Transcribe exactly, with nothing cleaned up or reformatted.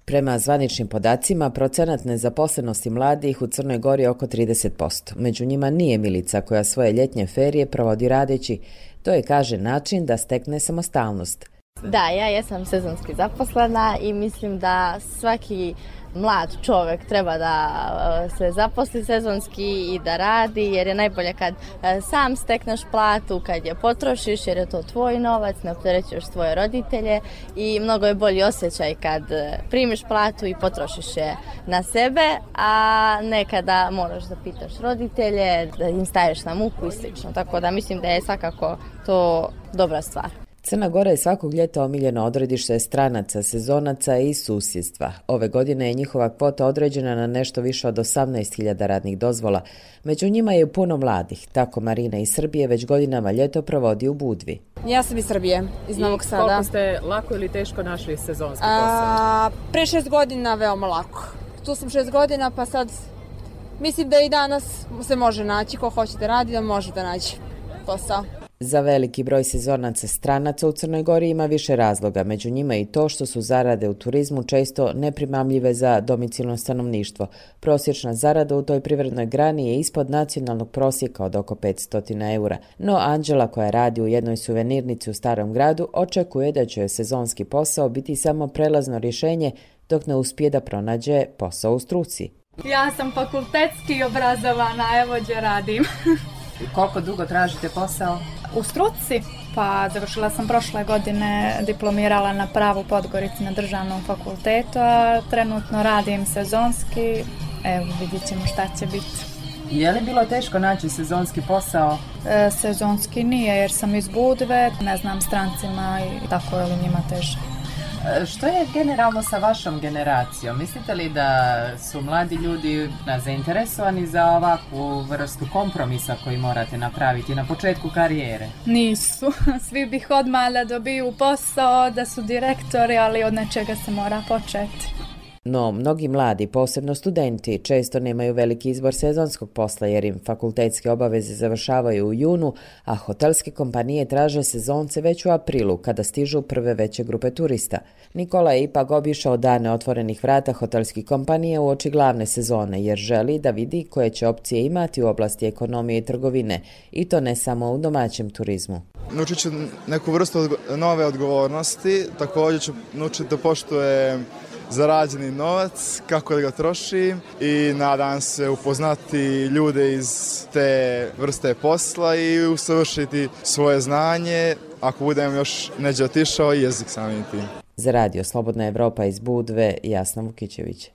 Prema zvaničnim podacima, procenat nezaposlenosti mladih u Crnoj Gori je oko trideset posto. Među njima nije Milica koja svoje ljetnje ferije provodi radeći. To je, kaže, način da stekne samostalnost. Da, ja jesam sezonski zaposlena i mislim da svaki mlad čovjek treba da se zaposli sezonski i da radi, jer je najbolje kad sam stekneš platu, kad je potrošiš, jer je to tvoj novac, ne opterećuješ svoje roditelje i mnogo je bolji osjećaj kad primiš platu i potrošiš je na sebe, a ne kada moraš da pitaš roditelje, da im staješ na muku i slično. Tako da mislim da je svakako to dobra stvar. Crna Gora je svakog ljeta omiljeno odredište stranaca, sezonaca i susjedstva. Ove godine je njihova kvota određena na nešto više od osamnaest hiljada radnih dozvola. Među njima je puno mladih. Tako Marina iz Srbije već godinama ljeto provodi u Budvi. Ja sam iz Srbije, iz Novog Sada. I koliko ste lako ili teško našli sezonski posao? Pre šest godina veoma lako. Tu sam šest godina pa sad mislim da i danas se može naći. Ko hoće da radi da može da naći posao. Za veliki broj sezonaca stranaca u Crnoj Gori ima više razloga, među njima i to što su zarade u turizmu često neprimamljive za domicilno stanovništvo. Prosječna zarada u toj privrednoj grani je ispod nacionalnog prosjeka od oko petsto eura. No Anđela, koja radi u jednoj suvenirnici u Starom gradu, očekuje da će joj sezonski posao biti samo prelazno rješenje dok ne uspije da pronađe posao u struci. Ja sam fakultetski obrazovana, evo gdje radim. I koliko dugo tražite posao? U struci, pa završila sam prošle godine, diplomirala na pravu Podgorici na državnom fakultetu, a trenutno radim sezonski, evo vidjet ćemo šta će biti. Je li bilo teško naći sezonski posao? E, sezonski nije jer sam iz Budve, ne znam strancima i tako je li njima teže. Što je generalno sa vašom generacijom? Mislite li da su mladi ljudi zainteresovani za ovakvu vrstu kompromisa koji morate napraviti na početku karijere? Nisu. Svi bih odmah da dobiju posao, da su direktori, ali od nečega se mora početi. No, mnogi mladi, posebno studenti, često nemaju veliki izbor sezonskog posla jer im fakultetske obaveze završavaju u junu, a hotelske kompanije traže sezonce već u aprilu, kada stižu prve veće grupe turista. Nikola je ipak obišao dane otvorenih vrata hotelskih kompanija uoči glavne sezone, jer želi da vidi koje će opcije imati u oblasti ekonomije i trgovine, i to ne samo u domaćem turizmu. Naučit ću neku vrstu nove odgovornosti, također ću naučiti da poštuje zarađeni novac, kako da ga troši i nadam se upoznati ljude iz te vrste posla i usavršiti svoje znanje, ako budem još neđe otišao, i jezik samim tim. Za radio Slobodna Evropa iz Budve, Jasna Vukićević.